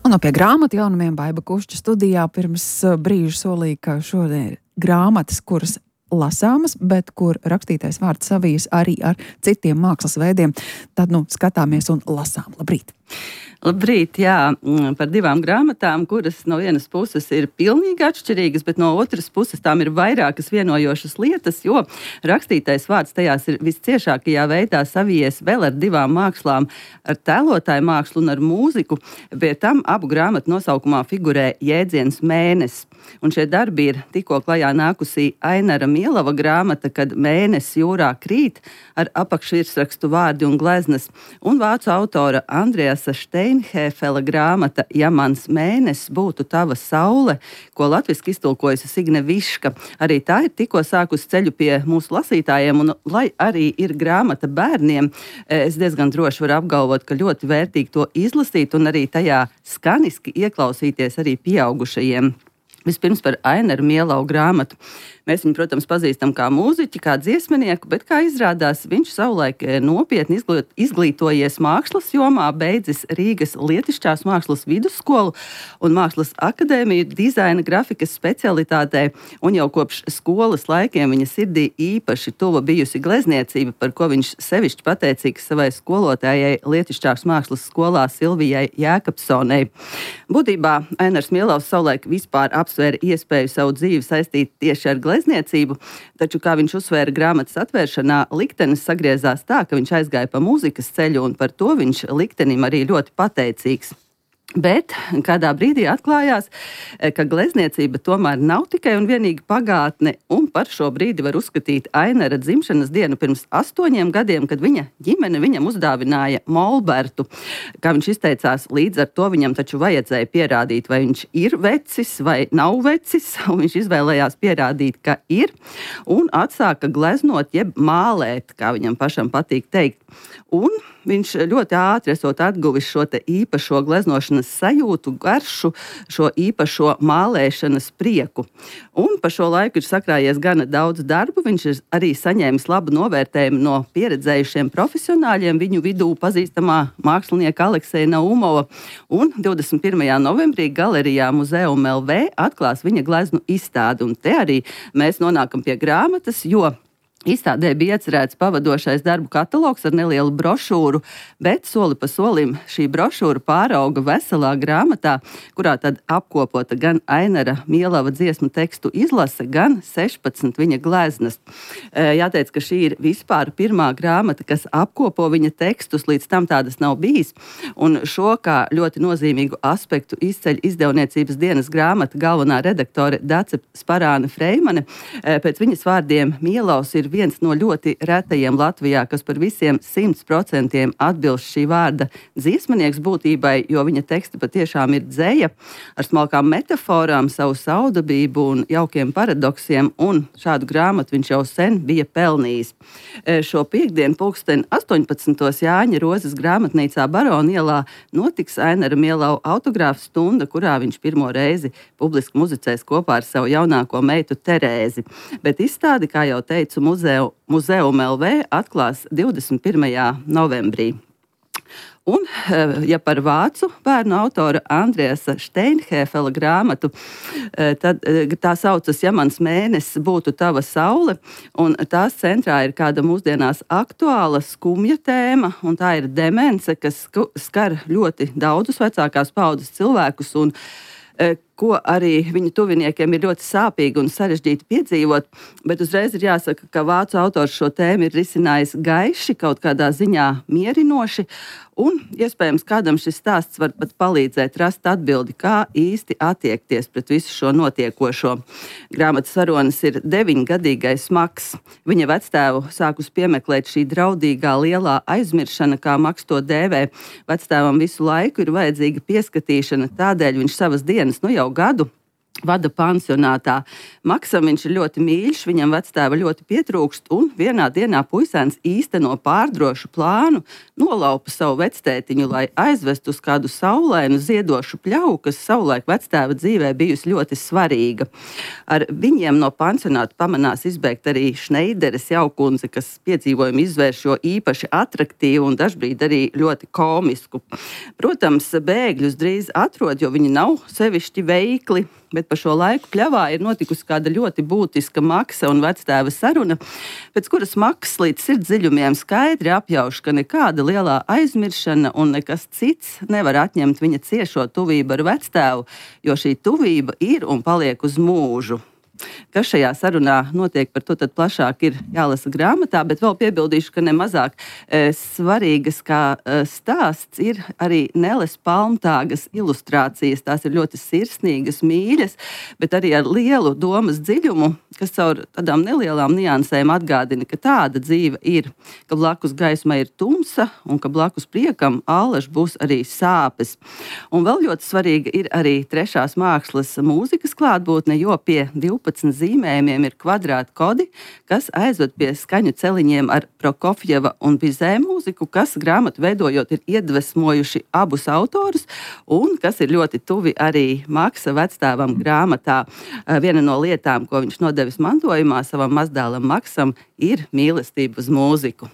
Un no pie grāmatu jaunumiem Baiba Kušķa studijā pirms brīža solīja, ka šodien ir grāmatas, kuras lasāmas, bet kur rakstītais vārds savijas arī ar citiem mākslas veidiem. Tad, skatāmies un lasām. Labrīt! Labrīt, jā, par divām grāmatām, kuras no vienas puses ir pilnīgi atšķirīgas, bet no otras puses tām ir vairākas vienojošas lietas, jo rakstītais vārds tajās ir visciešākajā veidā savijies vēl ar divām mākslām, ar tēlotāju mākslu un ar mūziku. Pie tam abu grāmatu nosaukumā figurē jēdziens mēnesis. Un šie darbi ir tikko klajā nākusī Ainara Mielava grāmata, kad mēnesis jūrā krīt, ar apakšvirsrakstu vārdi un gleznas, un vācu autora Andreasa Steinhēfela grāmata Ja mans mēnesis būtu tava saule, ko latviski iztulkojusi Signe Viška. Arī tā ir tikko sākusi ceļu pie mūsu lasītājiem, un lai arī ir grāmata bērniem, es diezgan droši varu apgalvot, ka ļoti vērtīgi to izlasīt un arī tajā skaniski ieklausīties arī pieaugušajiem. Vispirms par Ainaru Mielavu grāmatu. Mēs viņu, protams, pazīstam kā mūziķi, kā dziesminieku, bet, kā izrādās, viņš savulaik nopietni izglītojies mākslas jomā, beidzis Rīgas Lietišķās mākslas vidusskolu un mākslas akadēmiju dizaina grafikas specialitātē, un jau kopš skolas laikiem viņa sirdī īpaši tuva bijusi glezniecība, par ko viņš sevišķi pateicīgs savai skolotājai Lietišķās mākslas skolā Silvijai Jēkabsonei. Būtībā Ainars Mielavs savulaik vispār apsvēra iespēju savu dzīvi saistīt tieši ar glezniecību, taču, kā viņš uzsvēra grāmatas atvēršanā, liktenis sagriezās tā, ka viņš aizgāja pa mūzikas ceļu, un par to viņš liktenim arī ļoti pateicīgs. Bet kādā brīdī atklājās, ka glezniecība tomēr nav tikai un vienīgi pagātne, un par šo brīdi var uzskatīt Ainara dzimšanas dienu pirms 8 gadiem, kad viņa ģimene viņam uzdāvināja molbertu. Kā viņš izteicās, līdz ar to viņam taču vajadzēja pierādīt, vai viņš ir vecis vai nav vecis, un viņš izvēlējās pierādīt, ka ir, un atsāka gleznot jeb mālēt, kā viņam pašam patīk teikt. Un viņš ļoti ātri esot atguvis šo te īpašo gleznošanas sajūtu, garšu, šo īpašo mālēšanas prieku. Un pa šo laiku ir sakrājies gana daudz darbu, viņš ir arī saņēmis labu novērtējumu no pieredzējušiem profesionāļiem, viņu vidū pazīstamā mākslinieka Alekseja Naumova, un 21. novembrī galerijā Muzeum LV atklās viņa gleznu izstādi, un te arī mēs nonākam pie grāmatas, jo izstādē bija iecerēts pavadošais darbu katalogs ar nelielu brošūru, bet soli pa solim šī brošūra pārauga veselā grāmatā, kurā tad apkopota gan Ainara Mielava dziesmu tekstu izlase, gan 16 viņa gleznas. Jāteic, ka šī ir vispār pirmā grāmata, kas apkopo viņa tekstus, līdz tam tādas nav bijis, un šo kā ļoti nozīmīgu aspektu izceļ izdevniecības dienas grāmata galvenā redaktore Dace Sparāne Freimane. Pēc viņas vārdiem Mielavs ir viens no ļoti retajiem Latvijā, kas par visiem 100% atbilst šī vārda dziesmanieks būtībai, jo viņa teksti patiešām ir dzeja ar smalkām metaforām, savu saudabību un jaukiem paradoksiem, un šādu grāmatu viņš jau sen bija pelnījis. Šo piektdienu pulksteni 18. Jāņa Rozes grāmatnīcā Barona ielā notiks Ainara Mielava autogrāfu stunda, kurā viņš pirmo reizi publiski muzicēs kopā ar savu jaunāko meitu Terēzi. Bet izstādi, kā jau teicu, Muzeum LV atklās 21. novembrī. Un, ja par vācu bērnu autora Andreasa Steinhēfela grāmatu, tad tā saucas Ja mans mēnesis būtu tava saule, un tās centrā ir kāda mūsdienās aktuāla skumja tēma, un tā ir demence, kas skar ļoti daudzus vecākās paudzes cilvēkus, un ko arī viņu tuviniekiem ir ļoti sāpīgi un sarežģīti piedzīvot, bet uzreiz ir jāsaka, ka vācu autors šo tēmu ir risinājis gaiši, kaut kādā ziņā mierinoši, un iespējams kādam šis stāsts var pat palīdzēt rast atbildi, kā īsti attiekties pret visu šo notiekošo. Grāmatas varonis ir 9-gadīgais Maks. Viņa vectēvu sākus piemeklēt šī draudīgā lielā aizmiršana, kā Maks to dēvē. Vectēvam visu laiku ir vajadzīga pieskatīšana, tādēļ viņš savas dienas jau gadu vada pansionātā. Maksam viņš ir ļoti mīļš, viņam vectēva ļoti pietrūkst, un vienā dienā puisēns īsteno pārdrošu plānu, nolaupa savu vectētiņu, lai aizvestu uz kādu saulainu ziedošu pļauju, kas savulaik vectēva dzīvē bijusi ļoti svarīga. Ar viņiem no pansionāta pamanās izbēgt arī Šneideres jaukundze, kas piedzīvojumu izvērš jo īpaši atraktīvu un dažbrīd arī ļoti komisku. Protams, bēgļus drīz atrod, jo viņi nav sevišķi veikli, bet pa šo laiku pļavā ir notikusi kāda ļoti būtiska Maksa un vectēva saruna, pēc kuras Maks līdz sirdsdziļumiem skaidri apjauš, ka nekāda lielā aizmiršana un nekas cits nevar atņemt viņa ciešo tuvību ar vectēvu, jo šī tuvība ir un paliek uz mūžu. Kas šajā sarunā notiek, par to tad plašāk ir jālasa grāmatā, bet vēl piebildīšu, ka nemazāk svarīgas kā stāsts ir arī Neles Palmtāgas ilustrācijas. Tās ir ļoti sirsnīgas, mīļas, bet arī ar lielu domas dziļumu, kas caur tādām nelielām niansēm atgādina, ka tāda dzīve ir, ka blakus gaismai ir tumsa un ka blakus priekam allaž būs arī sāpes. Un vēl ļoti svarīga ir arī trešās mākslas mūzikas klātbūtne, jo pie 12 zīmējumiem ir kvadrāta kodi, kas aizved pie skaņu celiņiem ar Prokofjeva un Bizē mūziku, kas grāmatu veidojot ir iedvesmojuši abus autorus un kas ir ļoti tuvi arī Maksa vectēvam grāmatā. Viena no lietām, ko viņš nodevis mantojumā savam mazdēlam Maksam, ir mīlestība uz mūziku.